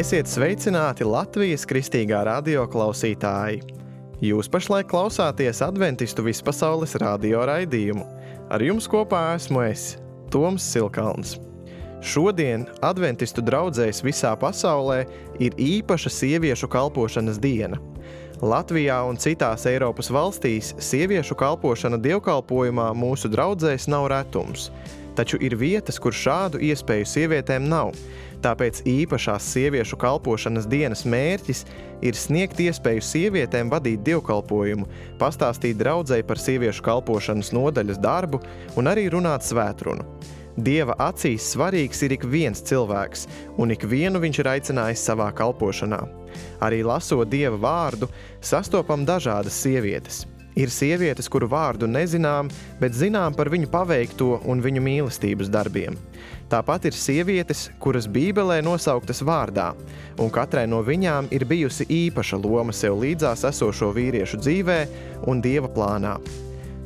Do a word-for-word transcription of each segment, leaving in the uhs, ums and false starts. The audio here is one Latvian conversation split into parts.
Esiet sveicināti Latvijas kristīgā radio klausītāji! Jūs pašlaik klausāties Adventistu vispasaules radio raidījumu. Ar jums kopā esmu es, Toms Silkalns. Šodien Adventistu draudzēs visā pasaulē ir īpaša sieviešu kalpošanas diena. Latvijā un citās Eiropas valstīs sieviešu kalpošana dievkalpojumā mūsu draudzēs nav retums, taču ir vietas, kur šādu iespēju sievietēm nav. Tāpēc īpašās sieviešu kalpošanas dienas mērķis ir sniegt iespēju sievietēm vadīt dievkalpojumu, pastāstīt draudzei par sieviešu kalpošanas nodaļas darbu un arī runāt svētrunu. Dieva acīs svarīgs ir ik viens cilvēks, un ik vienu viņš ir aicinājis savā kalpošanā. Arī lasot Dieva vārdu, sastopam dažādas sievietes. Ir sievietes, kuru vārdu nezinām, bet zinām par viņu paveikto un viņu mīlestības darbiem. Tāpat ir sievietes, kuras Bībelē nosauktas vārdā, un katrai no viņām ir bijusi īpaša loma sev līdzās esošo vīriešu dzīvē un Dieva plānā.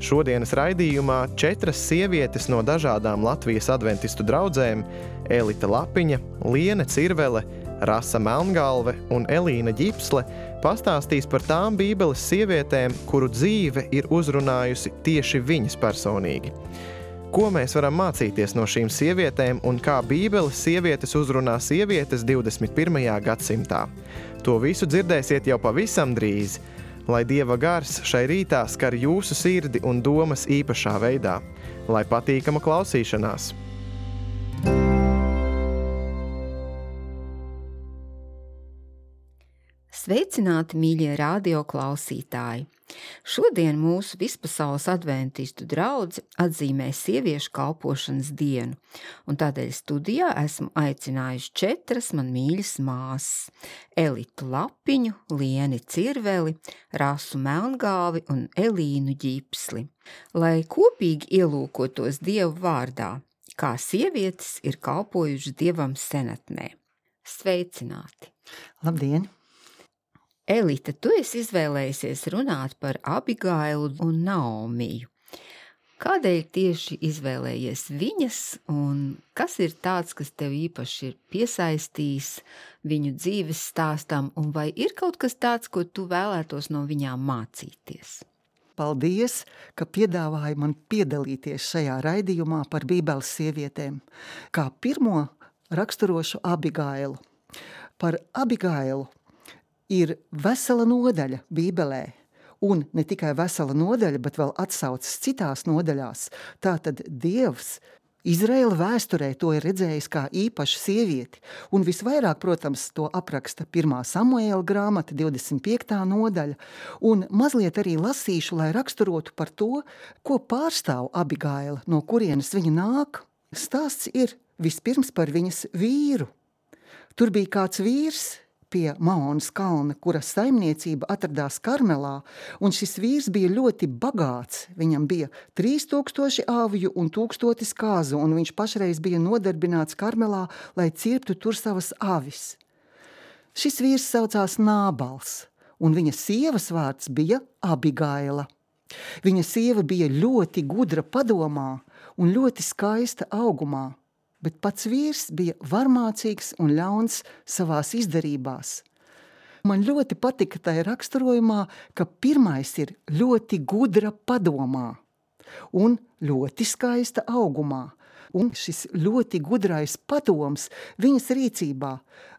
Šodienas raidījumā četras sievietes no dažādām Latvijas adventistu draudzēm – Elita Lapiņa, Liene Cirvele, Rasa Melngalve un Elīna Ģipsle – pastāstīs par tām Bībeles sievietēm, kuru dzīve ir uzrunājusi tieši viņas personīgi. Ko mēs varam mācīties no šīm sievietēm un kā Bībeles sievietes uzrunā sievietes divdesmit pirmajā gadsimtā? To visu dzirdēsiet jau pavisam drīz. Lai Dieva gars šai rītā skar jūsu sirdi un domas īpašā veidā. Lai patīkama klausīšanās! Sveicināti, mīļie radio klausītāji! Šodien mūsu vispasaules adventistu draudze atzīmē sieviešu kalpošanas dienu, un tādēļ studijā esmu aicinājuši četras man mīļas māsas – Elitu Lapiņu, Lieni Cirveli, Rasu Melngalvi un Elīnu Ģipsli, lai kopīgi ielūkotos Dievu vārdā, kā sievietes ir kalpojušas Dievam senatnē. Sveicināti! Labdien! Elita, tu esi izvēlējusies runāt par Abigailu un Naomiju. Kādēļ tieši izvēlējies viņas un kas ir tāds, kas tev īpaši ir piesaistījis viņu dzīves stāstam, un vai ir kaut kas tāds, ko tu vēlētos no viņām mācīties? Paldies, ka piedāvāji man piedalīties šajā raidījumā par Bībeles sievietēm. Kā pirmo raksturošu Abigailu. Par Abigailu ir vesela nodaļa Bībelē, un ne tikai vesela nodaļa, bet vēl atsaucas citās nodaļās. Tātad Dievs Izraēla vēsturē to ir redzējis kā īpašu sievieti, un visvairāk, protams, to apraksta pirmā Samuēla grāmata, divdesmit piektā nodaļa, un mazliet arī lasīšu, lai raksturotu par to, ko pārstāv Abigaila, no kurienes viņa nāk. Stāsts ir vispirms par viņas vīru. Tur bija kāds vīrs pie Maonas kalna, kura saimniecība atradās Karmelā, un šis vīrs bija ļoti bagāts. Viņam bija trīs tūkstoši avju un tūkstotis kāzu, un viņš pašreiz bija nodarbināts Karmelā, lai cirptu tur savas avis. Šis vīrs saucās Nābals, un viņa sievas vārds bija Abigaila. Viņa sieva bija ļoti gudra padomā un ļoti skaista augumā, bet pats vīrs bija varmācīgs un ļauns savās izdarībās. Man ļoti patika tajā raksturojumā, ka pirmais ir ļoti gudra padomā un ļoti skaista augumā. Un šis ļoti gudrais padoms viņas rīcībā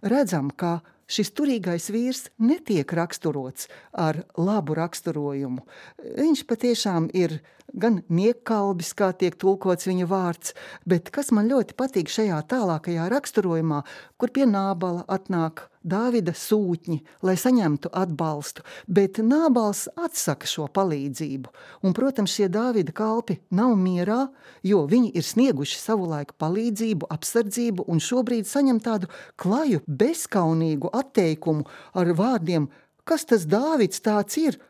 redzam, ka šis turīgais vīrs netiek raksturots ar labu raksturojumu. Viņš patiešām ir gan niekkalbis, kā tiek tulkots viņa vārds, bet kas man ļoti patīk šajā tālākajā raksturojumā, kur pie Nābala atnāk Dāvida sūtņi, lai saņemtu atbalstu, bet Nābals atsaka šo palīdzību. Un, protams, šie Dāvida kalpi nav mierā, jo viņi ir snieguši savulaik palīdzību, apsardzību un šobrīd saņem tādu klaju, bezkaunīgu atteikumu ar vārdiem, kas tas Dāvids tāds ir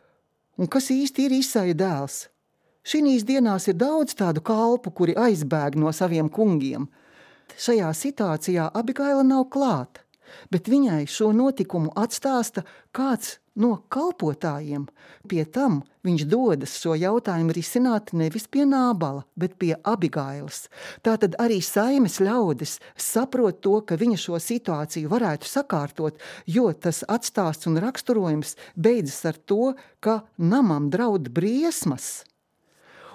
un kas īsti ir Isaja dēls. Šinīs dienās ir daudz tādu kalpu, kuri aizbēg no saviem kungiem. Šajā situācijā Abigaila nav klāta. bet viņai šo notikumu atstāsta kāds no kalpotājiem. Pie tam viņš dodas šo jautājumu risināt nevis pie Nābala, bet pie Abigailas. Tātad arī saimes ļaudis saprot to, ka viņa šo situāciju varētu sakārtot, jo tas atstāsts un raksturojums beidzas ar to, ka namam draud briesmas.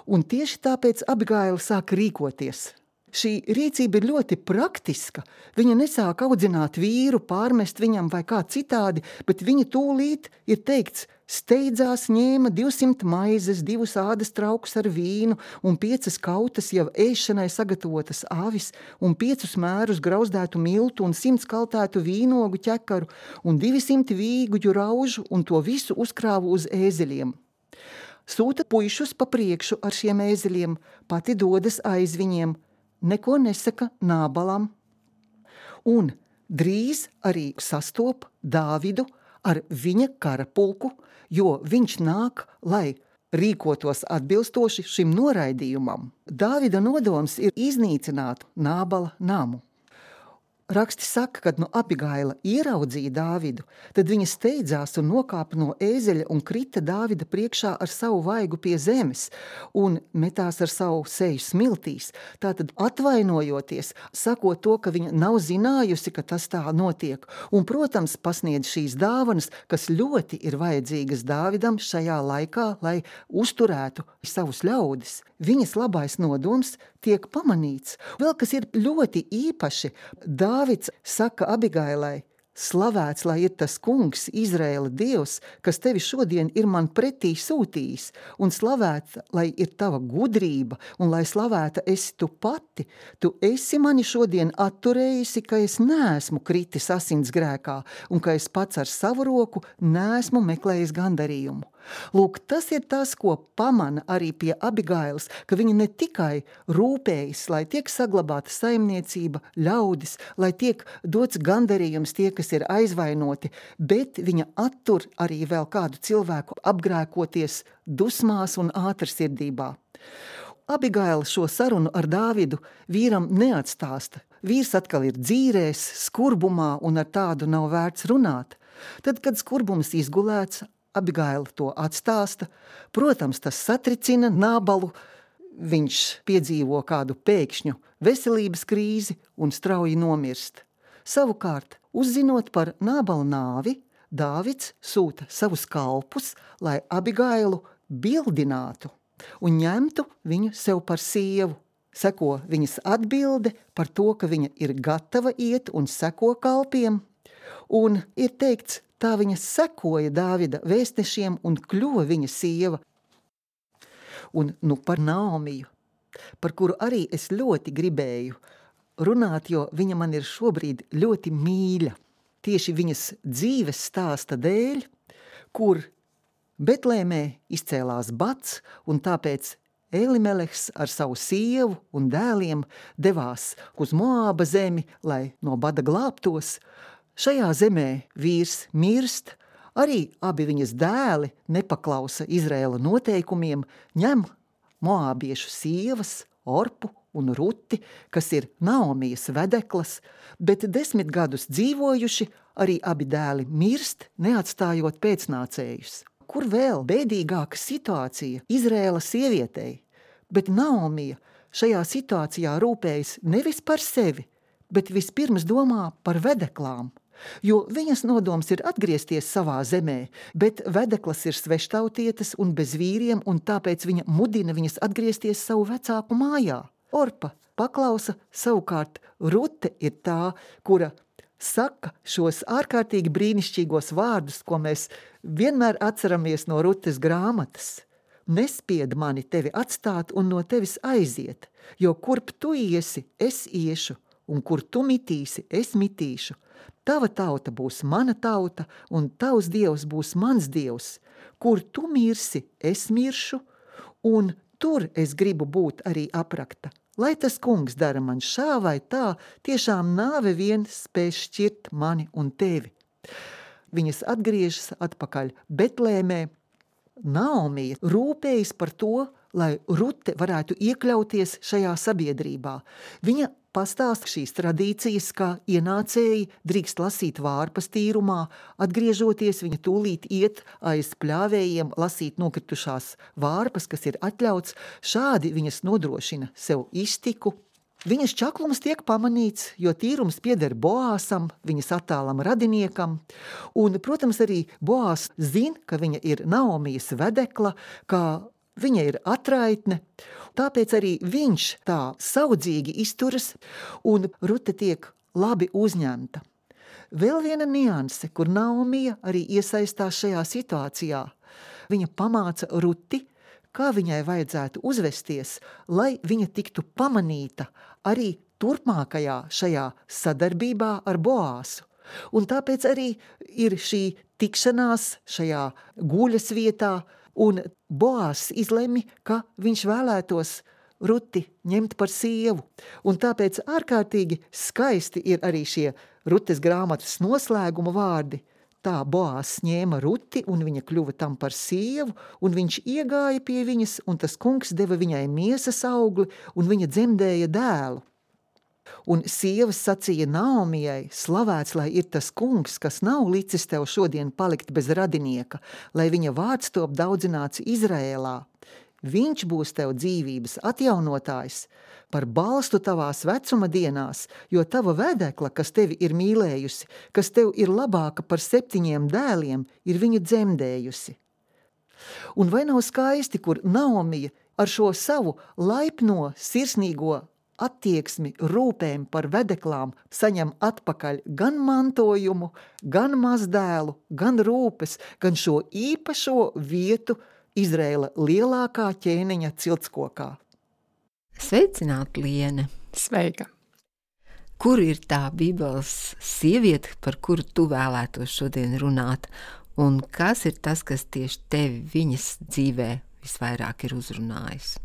Un tieši tāpēc Abigaila sāk rīkoties. Šī rīcība ir ļoti praktiska. Viņa nesāk audzināt vīru, pārmest viņam vai kā citādi, bet viņa tūlīt ir teikts, steidzās ņēma divsimt maizes, divus ādas traukus ar vīnu un piecas kautas jau ēšanai sagatavotas avis un piecus mērus grauzdētu miltu un simts kaltētu vīnogu ķekaru un divsimt vīguģu raužu un to visu uzkrāvu uz ēzeļiem. Sūta puišus pa priekšu ar šiem ēzeļiem, pati dodas aiz viņiem, neko nesaka Nābalam. Un drīz arī sastop Dāvidu ar viņa karapulku, jo viņš nāk, lai rīkotos atbilstoši šim noraidījumam. Dāvida nodoms ir iznīcināt Nābala namu. Raksti saka, kad no Abigaila ieraudzīja Dāvidu, tad viņa steidzās un nokāpa no ēzeļa un krita Dāvida priekšā ar savu vaigu pie zemes un metās ar savu seju smiltīs. Tātad atvainojoties, sakot to, ka viņa nav zinājusi, ka tas tā notiek. Un, protams, pasniedz šīs dāvanas, kas ļoti ir vajadzīgas Dāvidam šajā laikā, lai uzturētu savus ļaudis. Viņas labais nodoms tiek pamanīts. Vēl kas ir ļoti īpaši, Dāvids saka Abigailai, slavēts, lai ir tas kungs, Izraēla dievs, kas tevi šodien ir man pretī sūtījis, un slavēta, lai ir tava gudrība, un lai slavēta esi tu pati. Tu esi mani šodien atturējusi, ka es neesmu kritis asins grēkā, un ka es pats ar savu roku neesmu meklējis gandarījumu. Lūk, tas ir tas, ko pamana arī pie Abigailas, ka viņa ne tikai rūpējas, lai tiek saglabāta saimniecība, ļaudis, lai tiek dots gandarījums tie, kas ir aizvainoti, bet viņa attur arī vēl kādu cilvēku apgrēkoties dusmās un ātrsirdībā. Abigaila šo sarunu ar Dāvidu vīram neatstāsta. Vīrs atkal ir dzīrēs, skurbumā un ar tādu nav vērts runāt. Tad, kad skurbums izgulēts, Abigaila to atstāsta. Protams, tas satricina Nābalu. Viņš piedzīvo kādu pēkšņu veselības krīzi un strauji nomirst. Savukārt, uzzinot par Nābala nāvi, Dāvids sūta savus kalpus, lai Abigailu bildinātu un ņemtu viņu sev par sievu. Seko viņas atbilde par to, ka viņa ir gatava iet un seko kalpiem. Un ir teikts, tā viņa sekoja Dāvida vēstnešiem un kļuva viņa sieva. Un nu par Naomiju, par kuru arī es ļoti gribēju runāt, jo viņa man ir šobrīd ļoti mīļa. Tieši viņas dzīves stāsta dēļ, kur Betlēmē izcēlās bats, un tāpēc Elimelehs ar savu sievu un dēliem devās uz Moāba zemi, lai no bada glābtos. Šajā zemē vīrs mirst, arī abi viņas dēli nepaklausa Izraēla noteikumiem, ņem moābiešu sievas, Orpu un Ruti, kas ir Naomijas vedeklas, bet desmit gadus dzīvojuši, arī abi dēli mirst, neatstājot pēcnācējus. Kur vēl bēdīgāka situācija Izraēla sievietei, bet Naomija šajā situācijā rūpējas nevis par sevi, bet vispirms domā par vedeklām. Jo viņas nodoms ir atgriezties savā zemē, bet vedeklas ir sveštautietes un bez vīriem, un tāpēc viņa mudina viņas atgriezties savu vecāku mājā. Orpa paklausa, savukārt Rute ir tā, kura saka šos ārkārtīgi brīnišķīgos vārdus, ko mēs vienmēr atceramies no Rutes grāmatas. Nespied mani tevi atstāt un no tevis aiziet, jo kurp tu iesi, es iešu, un kur tu mitīsi, es mitīšu. Tava tauta būs mana tauta, un tavs dievs būs mans dievs. Kur tu mirsi, es miršu, un tur es gribu būt arī aprakta. Lai tas kungs dara man šā vai tā, tiešām nāve vien spēs šķirt mani un tevi. Viņas atgriežas atpakaļ Betlēmē. Naomija rūpējas par to, lai Rute varētu iekļauties šajā sabiedrībā. Viņa pastāsta šīs tradīcijas, kā ienācēji drīkst lasīt vārpas tīrumā, atgriežoties viņa tūlīt iet aiz pļāvējiem lasīt nokritušās vārpas, kas ir atļauts, šādi viņas nodrošina sev iztiku. Viņas čaklums tiek pamanīts, jo tīrums pieder Boāsam, viņas attālam radiniekam, un, protams, arī Boās zina, ka viņa ir Naomijas vedekla, ka viņa ir atraitne, tāpēc arī viņš tā saudzīgi izturas, un Rute tiek labi uzņemta. Vēl viena nianse, kur Naomija arī iesaistās šajā situācijā. Viņa pamāca Ruti, kā viņai vajadzētu uzvesties, lai viņa tiktu pamanīta arī turpmākajā šajā sadarbībā ar Boāsu. Un tāpēc arī ir šī tikšanās šajā guļas vietā, un Boās izlemj, ka viņš vēlētos Ruti ņemt par sievu. Un tāpēc ārkārtīgi skaisti ir arī šie Rutes grāmatas noslēguma vārdi. Tā Boās ņēma Ruti, un viņa kļuva tam par sievu, un viņš iegāja pie viņas, un tas kungs deva viņai miesas augli, un viņa dzemdēja dēlu. Un sievas sacīja Naomijai, slavēts, lai ir tas kungs, kas nav licis tev šodien palikt bez radinieka, lai viņa vārds top daudzināts Izraēlā. Viņš būs tev dzīvības atjaunotājs, par balstu tavās vecuma dienās, jo tava vedekla, kas tevi ir mīlējusi, kas tev ir labāka par septiņiem dēliem, ir viņu dzemdējusi. Un vai nav skaisti, kur Naomija ar šo savu laipno, sirsnīgo attieksmi, rūpēm par vedeklām saņem atpakaļ gan mantojumu, gan mazdēlu, gan rūpes, gan šo īpašo vietu Izraēla lielākā ķēniņa ciltskokā. Sveicināt, Liene! Sveika! Kur ir tā Bībeles sieviete, par kuru tu vēlētos šodien runāt, un kas ir tas, kas tieši tevi viņas dzīvē visvairāk ir uzrunājis?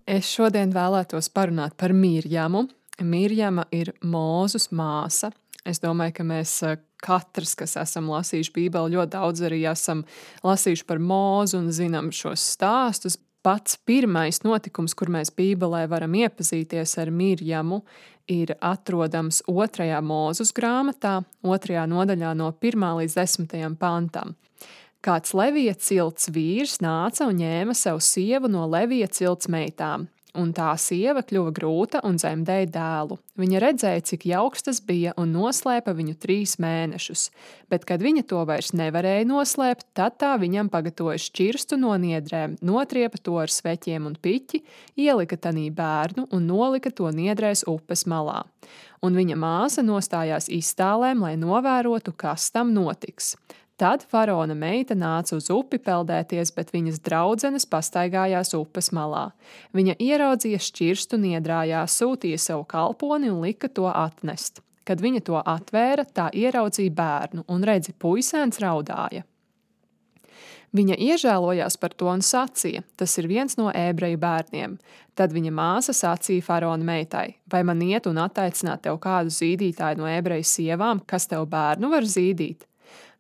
Es šodien vēlētos parunāt par Mirjamu. Mirjama ir Mūzus māsa. Es domāju, ka mēs katrs, kas esam lasījuši Bībeli, ļoti daudz arī esam lasījuši par Mūzu un zinām šos stāstus. Pats pirmais notikums, kur mēs Bībelē varam iepazīties ar Mirjamu, ir atrodams otrajā Mūzus grāmatā, otrajā nodaļā no pirmā līdz desmitajam pantam. Kāds Levija cilts vīrs nāca un ņēma sev sievu no Levija cilts meitām, un tā sieva kļuva grūta un dzemdēja dēlu. Viņa redzēja, cik jauks tas bija, un noslēpa viņu trīs mēnešus, bet, kad viņa to vairs nevarēja noslēpt, tad tā viņam pagatavoja šķirstu no niedrēm, notriepa to ar sveķiem un piķi, ielika tanī bērnu un nolika to niedrēs upes malā. Un viņa māsa nostājās iztālēm, lai novērotu, kas tam notiks. Tad faraona meita nāca uz upi peldēties, bet viņas draudzenes pastaigājās upes malā. Viņa ieraudzīja šķirstu niedrājā, sūtīja savu kalponi un lika to atnest. Kad viņa to atvēra, tā ieraudzīja bērnu un redzi, puisēns raudāja. Viņa iežēlojās par to un sacīja, tas ir viens no ebreju bērniem. Tad viņa māsa sacīja faraona meitai, vai man iet un attaicināt tev kādu zīdītāju no ebreju sievām, kas tev bērnu var zīdīt?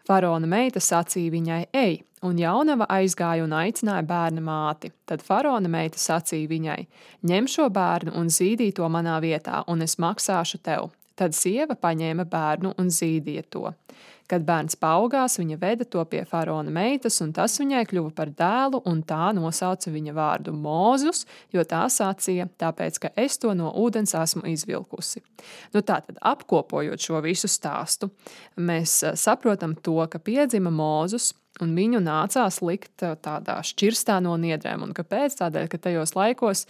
Faraona meita sacīja viņai, ej, un jaunava aizgāja un aicināja bērna māti. Tad faraona meita sacīja viņai, ņem šo bērnu un zīdī to manā vietā, un es maksāšu tev. Tad sieva paņēma bērnu un zīdīja to. Kad bērns paaugās, viņa veda to pie faraona meitas, un tas viņai kļuva par dēlu, un tā nosauca viņa vārdu Mūzus, jo tā sacīja, tāpēc, ka es to no ūdens esmu izvilkusi. Nu tātad, apkopojot šo visu stāstu, mēs saprotam to, ka piedzima Mūzus, un viņu nācās likt tādā šķirstā no niedrēm. Un kāpēc? Tādēļ, ka tajos laikos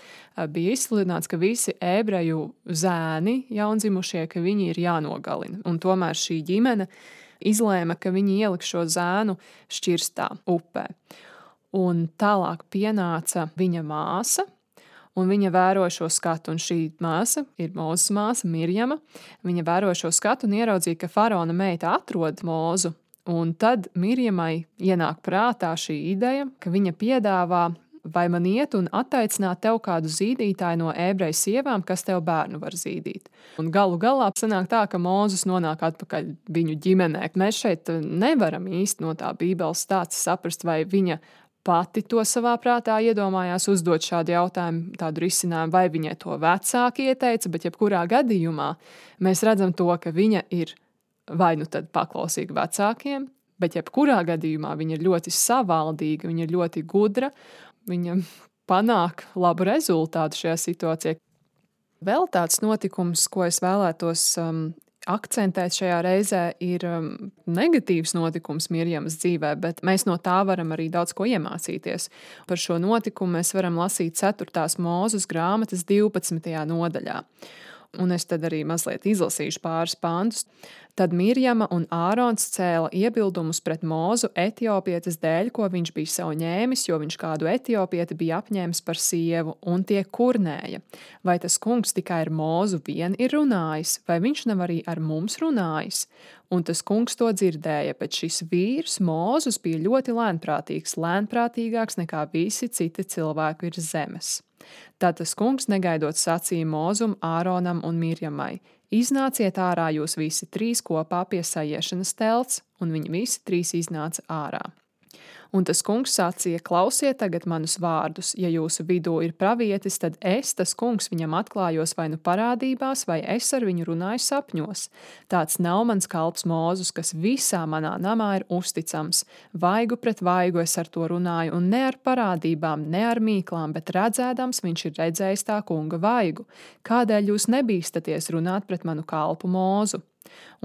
bija izsludināts, ka visi ebreju zēni jaundzimušie, ka viņi ir jānogalina. Un tomēr šī ģimene izlēma, ka viņi ieliks šo zēnu šķirstā upē. Un tālāk pienāca viņa māsa, un viņa vēro šo skatu, un šī māsa ir Mūzes māsa, Mirjama. Viņa vēro šo skatu un ieraudzīja, ka faraona meita atrod Mūzu, un tad Mirjamai ienāk prātā šī ideja, ka viņa piedāvā, vai man iet un attaicināt tev kādu zīdītāju no ebreju sievām, kas tev bērnu var zīdīt. Un galu galā sanāk tā, ka Mūzus nonāk atpakaļ viņu ģimenē. Mēs šeit nevaram īsti no tā Bībeles stāsta saprast, vai viņa pati to savā prātā iedomājās uzdot šādu jautājumu, tādu risinājumu, vai viņai to vecāki ieteica, bet jebkurā gadījumā mēs redzam to, ka viņa ir vai nu tad paklausīga vecākiem, bet jebkurā gadījumā viņa ir ļoti savaldīga, viņa ir ļoti gudra, viņa panāk labu rezultātu šajā situācijā. Vēl tāds notikums, ko es vēlētos um, akcentēt šajā reizē, ir um, negatīvs notikums Mirjamas dzīvē, bet mēs no tā varam arī daudz ko iemācīties. Par šo notikumu mēs varam lasīt ceturtās Mūzes grāmatas divpadsmitajā nodaļā. Un es tad arī mazliet izlasīšu pāris pantus. Tad Mirjama un Ārons cēla iebildumus pret Mūzu etiopietes dēļ, ko viņš bija sev ņēmis, jo viņš kādu etiopieti bija apņēmis par sievu, un tie kurnēja. Vai tas kungs tikai ar Mūzu vien ir runājis, vai viņš nav arī ar mums runājis? Un tas kungs to dzirdēja, bet šis vīrs Mūzus bija ļoti lēnprātīgs, lēnprātīgāks nekā visi citi cilvēki virs zemes. Tad tas kungs negaidot sacīja Mūzum, Āronam un Mirjamai: Iznāciet ārā jūs visi trīs kopā pie sajiešanas telts, un viņi visi trīs iznāca ārā. Un tas kungs sacīja: Klausiet tagad manus vārdus, ja jūsu vidū ir pravietis, tad es, tas kungs, viņam atklājos vai nu parādībās, vai es ar viņu runāju sapņos. Tāds nav mans kalps Mūzus, kas visā manā namā ir uzticams. Vaigu pret vaigu es ar to runāju, un ne ar parādībām, ne ar mīklām, bet redzēdams viņš ir redzējis tā kunga vaigu. Kādēļ jūs nebīstaties runāt pret manu kalpu Mūzu?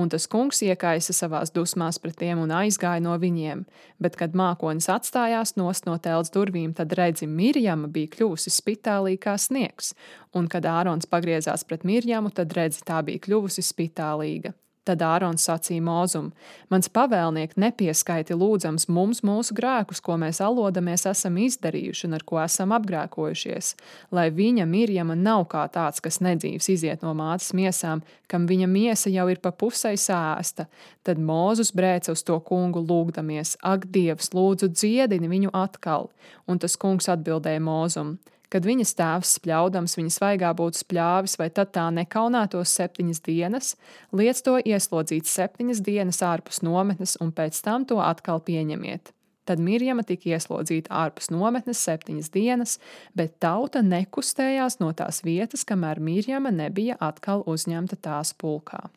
Un tas kungs iekaisa savās dusmās pret tiem un aizgāja no viņiem, bet, kad mākonis atstājās nost no telts durvīm, tad redzi, Mirjama bija kļuvusi spitālī kā sniegs, un, kad Ārons pagriezās pret Mirjamu, tad redzi, tā bija kļuvusi spitālīga. Tad Ārons sacīja Mūzum: Mans pavēlniek nepieskaiti lūdzams mums mūsu grēkus, ko mēs alodamies esam izdarījuši un ar ko esam apgrēkojušies, lai viņa Mirjama nav kā tāds, kas nedzīvs iziet no mātes miesām, kam viņa miesa jau ir pa pusei sēsta. Tad Mūzus brēca uz to kungu lūgdamies: Ak, Dievs, lūdzu dziedini viņu atkal. Un tas kungs atbildēja Mūzum: Kad viņas tēvs spļaudams viņa svaigā būtu spļāvis, vai tad tā nekaunētos septiņas dienas, liec to ieslodzīt septiņas dienas ārpus nometnes, un pēc tam to atkal pieņemiet. Tad Mirjama tika ieslodzīta ārpus nometnes septiņas dienas, bet tauta nekustējās no tās vietas, kamēr Mirjama nebija atkal uzņemta tās pulkā.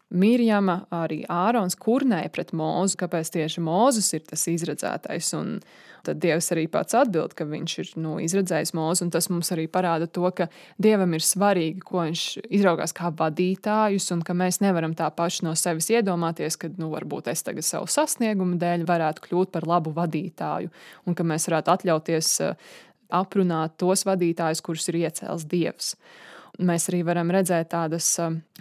Mirjama, arī Ārons kurnēja pret Mūzu, kāpēc tieši Mūzus ir tas izredzētais, un tad Dievs arī pats atbild, ka viņš ir nu, izredzējis Mūzu, un tas mums arī parāda to, ka Dievam ir svarīgi, ko viņš izraugās kā vadītājus, un ka mēs nevaram tā paši no sevis iedomāties, ka nu, varbūt es tagad savu sasniegumu dēļ varētu kļūt par labu vadītāju, un ka mēs varētu atļauties aprunāt tos vadītājus, kurus ir iecēlis Dievs. Mēs arī varam redzēt tādas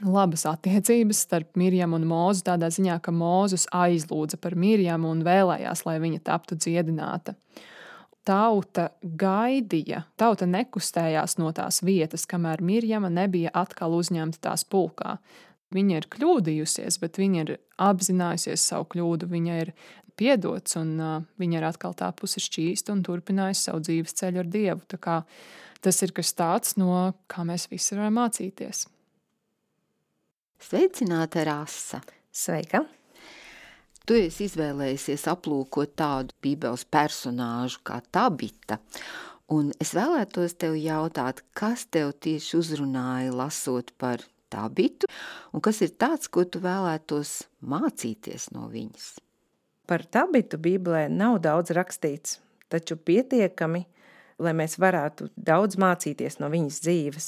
labas attiecības starp Mirjamu un Mūzu, tādā ziņā, ka Mūzus aizlūdza par Mirjamu un vēlējās, lai viņa taptu dziedināta. Tauta gaidīja, tauta nekustējās no tās vietas, kamēr Mirjama nebija atkal uzņemta tās pulkā. Viņa ir kļūdījusies, bet viņa ir apzinājusies savu kļūdu, viņa ir piedots un uh, viņa ir atkal tapusi šķīsta un turpinājusi savu dzīves ceļu ar Dievu. Tā kā tas ir kas tāds, no kā mēs visi varam mācīties. Sveicināta, Rasa! Sveika! Tu esi izvēlējusies aplūkot tādu Bībeles personāžu kā Tabita, un es vēlētos tev jautāt, kas tev tieši uzrunāja lasot par Tabitu, un kas ir tāds, ko tu vēlētos mācīties no viņas? Par Tabitu Bībelē nav daudz rakstīts, taču pietiekami, lai mēs varētu daudz mācīties no viņas dzīves.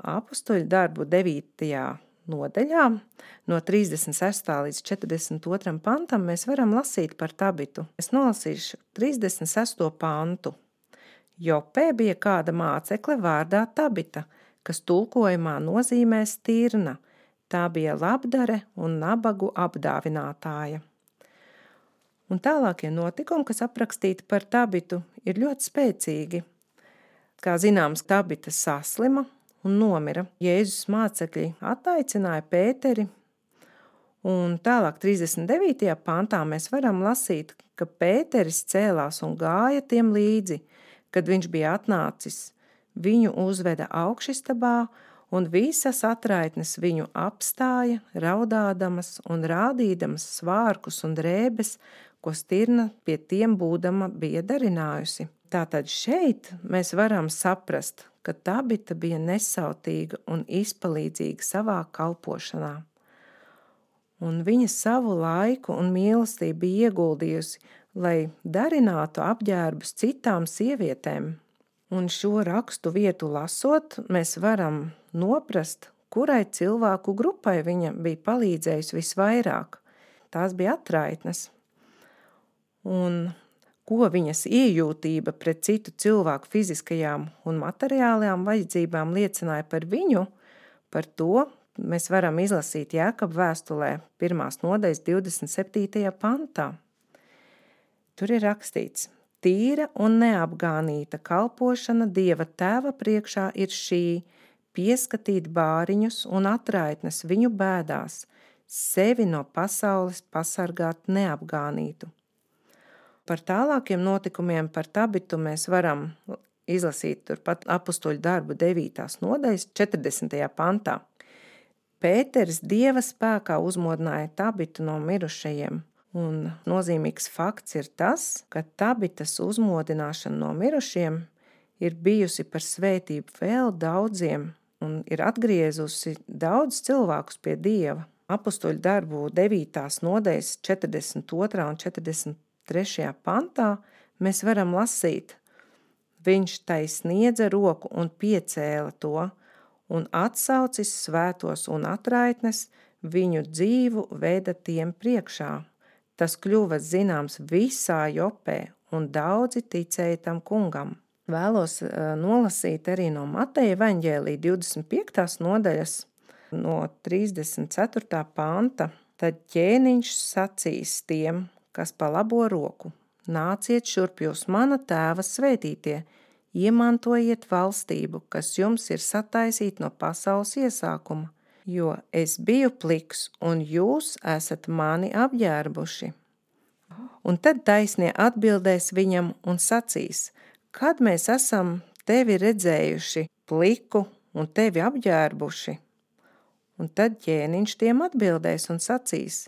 Apustuļu darbu devītajā nodaļā, no trīsdesmit sestā līdz četrdesmit otram pantam, mēs varam lasīt par Tabitu. Es nolasīšu trīsdesmit sesto pantu. Jopē bija kāda mācekle vārdā Tabita, kas tulkojumā nozīmē stirna. Tā bija labdare un nabagu apdāvinātāja. Un tālākie notikumi, kas aprakstīti par Tabitu, ir ļoti spēcīgi. Kā zināms, Tabita saslima un nomira. Jēzus mācekļi attaicināja Pēteri, un tālāk trīsdesmit devītajā pantā mēs varam lasīt, ka Pēteris cēlās un gāja tiem līdzi, kad viņš bija atnācis. Viņu uzveda augšistabā, un visas atraitnes viņu apstāja, raudādamas un rādīdamas svārkus un drēbes, ko stirna pie tiem būdama bija darinājusi. Tātad šeit mēs varam saprast, ka Tabita bija nesautīga un izpalīdzīga savā kalpošanā. Un viņa savu laiku un mīlestību bija ieguldījusi, lai darinātu apģērbus citām sievietēm. Un šo rakstu vietu lasot, mēs varam noprast, kurai cilvēku grupai viņa bija palīdzējusi visvairāk. Tās bija atraitnes. Un ko viņas iejūtība pret citu cilvēku fiziskajām un materiālajām vajadzībām liecināja par viņu, par to mēs varam izlasīt Jēkaba vēstulē pirmās nodaļas divdesmit septītajā pantā. Tur ir rakstīts: tīra un neapgānīta kalpošana Dieva Tēva priekšā ir šī, pieskatīt bāriņus un atraitnes viņu bēdās, sevi no pasaules pasargāt neapgānītu. Par tālākiem notikumiem par Tabitu mēs varam izlasīt turpat apustuļu darbu devītās nodaļas četrdesmitajā pantā. Pēteris Dieva spēkā uzmodināja Tabitu no mirušajiem, un nozīmīgs fakts ir tas, ka Tabitas uzmodināšana no mirušiem ir bijusi par svētību vēl daudziem un ir atgriezusi daudz cilvēkus pie Dieva. Apustuļu darbu devītās nodaļas četrdesmit otrā un četrdesmit trešajā pantā mēs varam lasīt: viņš tai sniedza roku un piecēla to, un atsaucis svētos un atraitnes, viņu dzīvu veda tiem priekšā. Tas kļuva zināms visā Jopē, un daudzi ticēja tam kungam. Vēlos uh, nolasīt arī no Mateja evaņģēlija divdesmit piektās nodaļas, no trīsdesmit ceturtā panta. Tad ķēniņš sacīs tiem, kas pa labo roku: nāciet šurp jūs mana tēva svētītie, iemantojiet valstību, kas jums ir sataisīta no pasaules iesākuma, jo es biju pliks, un jūs esat mani apģērbuši. Un tad taisnie atbildēs viņam un sacīs: kad mēs esam tevi redzējuši pliku un tevi apģērbuši? Un tad ķēniņš tiem atbildēs un sacīs: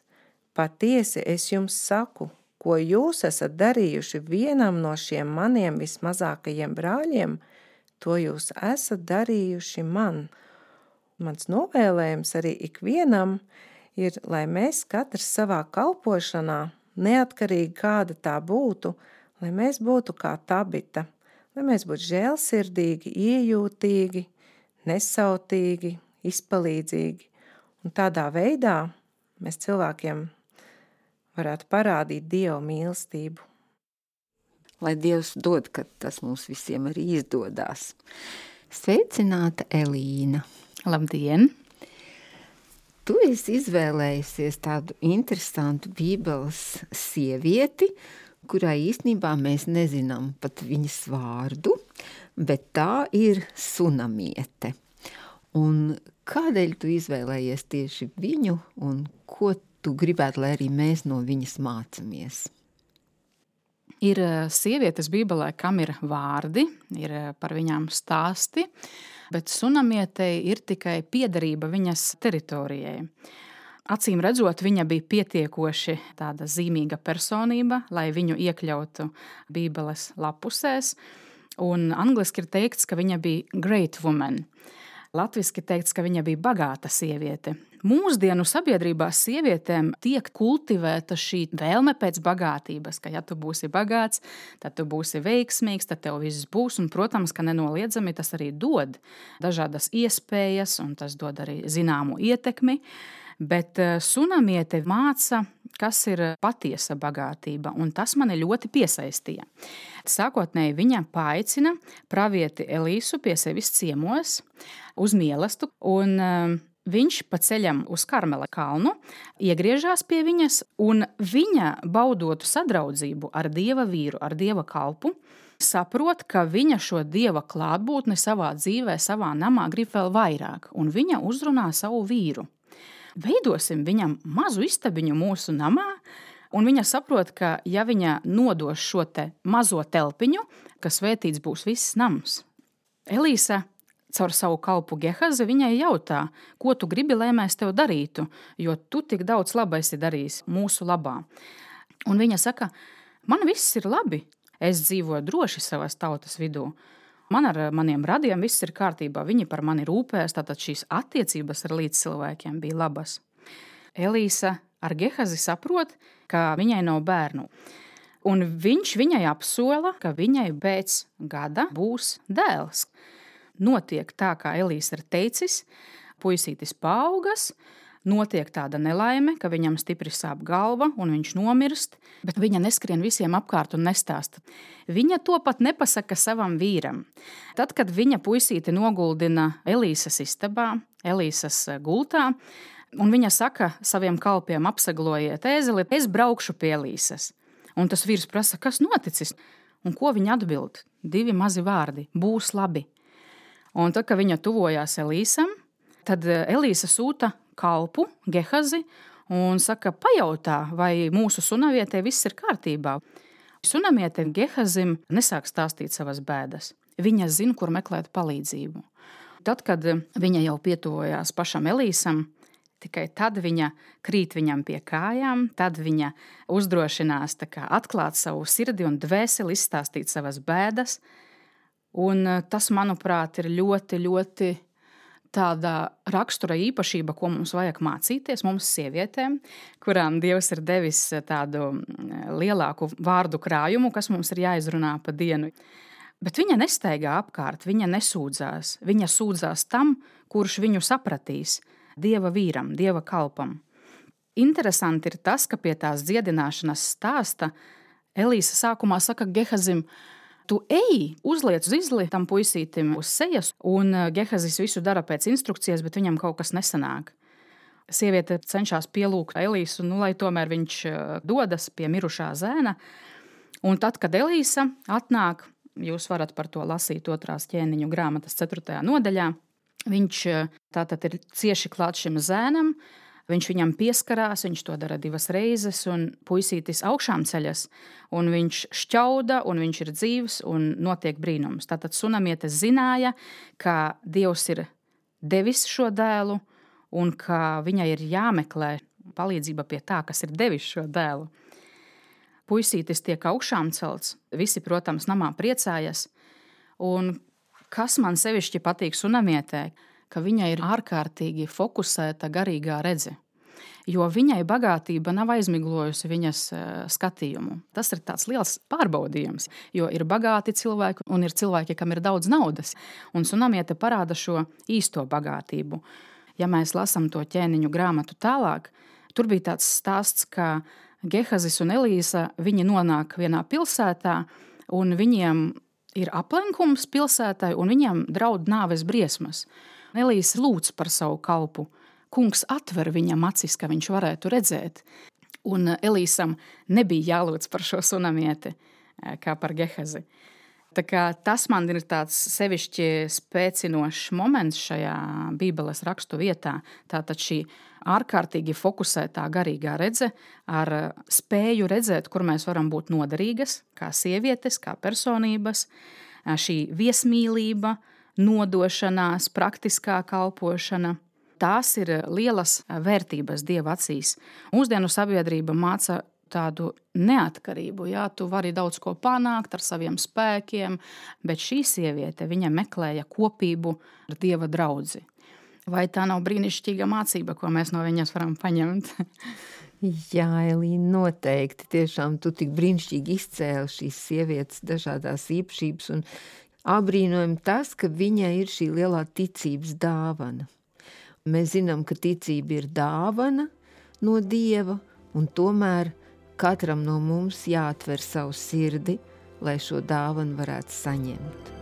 patiesi es jums saku, ko jūs esat darījuši vienam no šiem maniem vismazākajiem brāļiem, to jūs esat darījuši man. Mans novēlējums arī ikvienam ir, lai mēs katrs savā kalpošanā, neatkarīgi kāda tā būtu, lai mēs būtu kā Tabita, lai mēs būtu žēlsirdīgi, iejūtīgi, nesautīgi, izpalīdzīgi. Un tādā veidā mēs cilvēkiem varētu parādīt Dieva mīlestību. Lai Dievs dod, ka tas mums visiem arī izdodās. Sveicināta Elīna. Labdien! Tu esi izvēlējusies tādu interesantu Bībeles sievieti, kurai īstenībā mēs nezinām pat viņas vārdu, bet tā ir Sunamiete. Un kādēļ tu izvēlējies tieši viņu un ko tu gribētu, lai arī mēs no viņas mācamies? Ir sievietes Bībelē, kam ir vārdi, ir par viņām stāsti, bet Sunamietei ir tikai piederība viņas teritorijai. Acīm redzot, viņa bija pietiekoši tāda zīmīga personība, lai viņu iekļautu Bībeles lapusēs, un angliski ir teikts, ka viņa bija great woman. Latviski teikts, ka viņa bija bagāta sieviete. Mūsdienu sabiedrībā sievietēm tiek kultivēta šī vēlme pēc bagātības, ka ja tu būsi bagāts, tad tu būsi veiksmīgs, tad tev viss būs, un, protams, ka nenoliedzami tas arī dod dažādas iespējas, un tas dod arī zināmu ietekmi, bet Sunamiete māca, kas ir patiesa bagātība, un tas mani ļoti piesaistīja. Sākotnēji viņa paaicina pravieti Elīsu pie sevis ciemos uz mielastu, un viņš pa ceļam uz Karmela kalnu iegriežās pie viņas, un viņa, baudotu sadraudzību ar Dieva vīru, ar Dieva kalpu, saprot, ka viņa šo Dieva klātbūtni savā dzīvē, savā namā grib vēl vairāk, un viņa uzrunā savu vīru. Veidosim viņam mazu istabiņu mūsu namā, un viņa saprot, ka ja viņa nodos šo te mazo telpiņu, ka svētīts būs viss nams. Elīsa caur savu kalpu Gehazi viņai jautā, ko tu gribi, lai mēs tev darītu, jo tu tik daudz laba esi darījis mūsu labā. Un viņa saka, man viss ir labi, es dzīvoju droši savas tautas vidū. Man ar maniem radiem viss ir kārtībā, viņi par mani rūpēs, tātad šīs attiecības ar līdzcilvēkiem bija labas. Elīsa ar Gehazi saprot, ka viņai nav bērnu. Un viņš viņai apsola, ka viņai pēc gada būs dēls. Notiek tā, kā Elīsa ir teicis, puisītis paaugas, notiek tāda nelaime, ka viņam stipri sāp galva un viņš nomirst, bet viņa neskrien visiem apkārt un nestāsta. Viņa to pat nepasaka savam vīram. Tad, kad viņa puisīti noguldina Elīsas istabā, Elīsas gultā, un viņa saka saviem kalpiem apsaglojiet ēzeli, es braukšu pie Elīsas. Un tas vīrs prasa, kas noticis? Un ko viņa atbild? Divi mazi vārdi, būs labi. Un tad, kad viņa tuvojās Elīsam, tad Elīsa sūta kalpu, Gehazi, un saka, pajautā, vai mūsu sunavietē viss ir kārtībā. Sunamiete Gehazim nesāk stāstīt savas bēdas. Viņa zina, kur meklēt palīdzību. Tad, kad viņa jau pietuvojās pašam Elīsam, tikai tad viņa krīt viņam pie kājām, tad viņa uzdrošinās tā kā atklāt savu sirdi un dvēseli, izstāstīt savas bēdas. Un tas, manuprāt, ir ļoti, ļoti tāda rakstura īpašība, ko mums vajag mācīties, mums sievietēm, kurām Dievs ir devis tādu lielāku vārdu krājumu, kas mums ir jāizrunā pa dienu. Bet viņa nestaigā apkārt, viņa nesūdzās. Viņa sūdzās tam, kurš viņu sapratīs, Dieva vīram, Dieva kalpam. Interesanti ir tas, ka pie tās dziedināšanas stāsta Elīsa sākumā saka Gehazim, tu ej, uzliec uz izli tam puisītim uz sejas, un Gehazis visu dara pēc instrukcijas, bet viņam kaut kas nesanāk. Sieviete cenšas pielūgt Elīsu, nu, lai tomēr viņš dodas pie mirušā zēna. Un tad, kad Elīsa atnāk, jūs varat par to lasīt otrās ķēniņu grāmatas ceturtajā nodaļā, viņš tātad ir cieši klāt šim zēnam, viņš viņam pieskarās, viņš to dara divas reizes, un puisītis augšām ceļas, un viņš šķauda, un viņš ir dzīvs, un notiek brīnums. Tātad sunamiete zināja, ka Dievs ir devis šo dēlu, un ka viņai ir jāmeklē palīdzība pie tā, kas ir devis šo dēlu. Puisītis tiek augšām celts, visi, protams, namā priecājas, un kas man sevišķi patīk sunamietē, ka viņai ir ārkārtīgi fokusēta garīgā redze, jo viņai bagātība nav aizmiglojusi viņas skatījumu. Tas ir tāds liels pārbaudījums, jo ir bagāti cilvēki un ir cilvēki, kam ir daudz naudas, un sunamiete parāda šo īsto bagātību. Ja mēs lasam to ķēniņu grāmatu tālāk, tur bija tāds stāsts, ka Gehazis un Elīsa, viņi nonāk vienā pilsētā, un viņiem ir aplenkums pilsētai, un viņiem draud nāves briesmas. Elīsa lūdz par savu kalpu. Kungs atver viņam acis, ka viņš varētu redzēt. Un Elīsam nebija jālūdz par šo sunamieti, kā par Gehazi. Tā kā tas man ir tāds sevišķi spēcinošs moments šajā Bībeles rakstu vietā. Tātad šī ārkārtīgi fokusētā garīgā redze ar spēju redzēt, kur mēs varam būt noderīgas, kā sievietes, kā personības, šī viesmīlība, nodošanās, praktiskā kalpošana. Tās ir lielas vērtības Dieva acīs. Mūsdienu sabiedrība māca tādu neatkarību. Jā, tu vari daudz ko panākt ar saviem spēkiem, bet šī sieviete, viņa meklēja kopību ar Dieva draudzi. Vai tā nav brīnišķīga mācība, ko mēs no viņas varam paņemt? Jā, Elīna, noteikti. Tiešām tu tik brīnišķīgi izcēli šīs sievietes dažādās īpašības un abrīnojam tas, ka viņai ir šī lielā ticības dāvana. Mēs zinām, ka ticība ir dāvana no Dieva, un tomēr katram no mums jāatver savu sirdi, lai šo dāvanu varētu saņemt.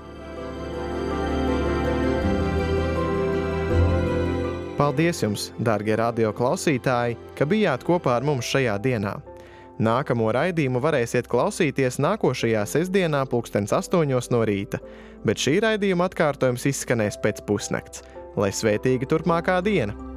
Paldies jums, dārgie radio klausītāji, ka bijāt kopā ar mums šajā dienā. Nākamo raidījumu varēsiet klausīties nākošajā sestdienā pulkstens astoņos no rīta, bet šī raidījuma atkārtojums izskanēs pēc pusnakts. Lai svētīga turpmākā diena!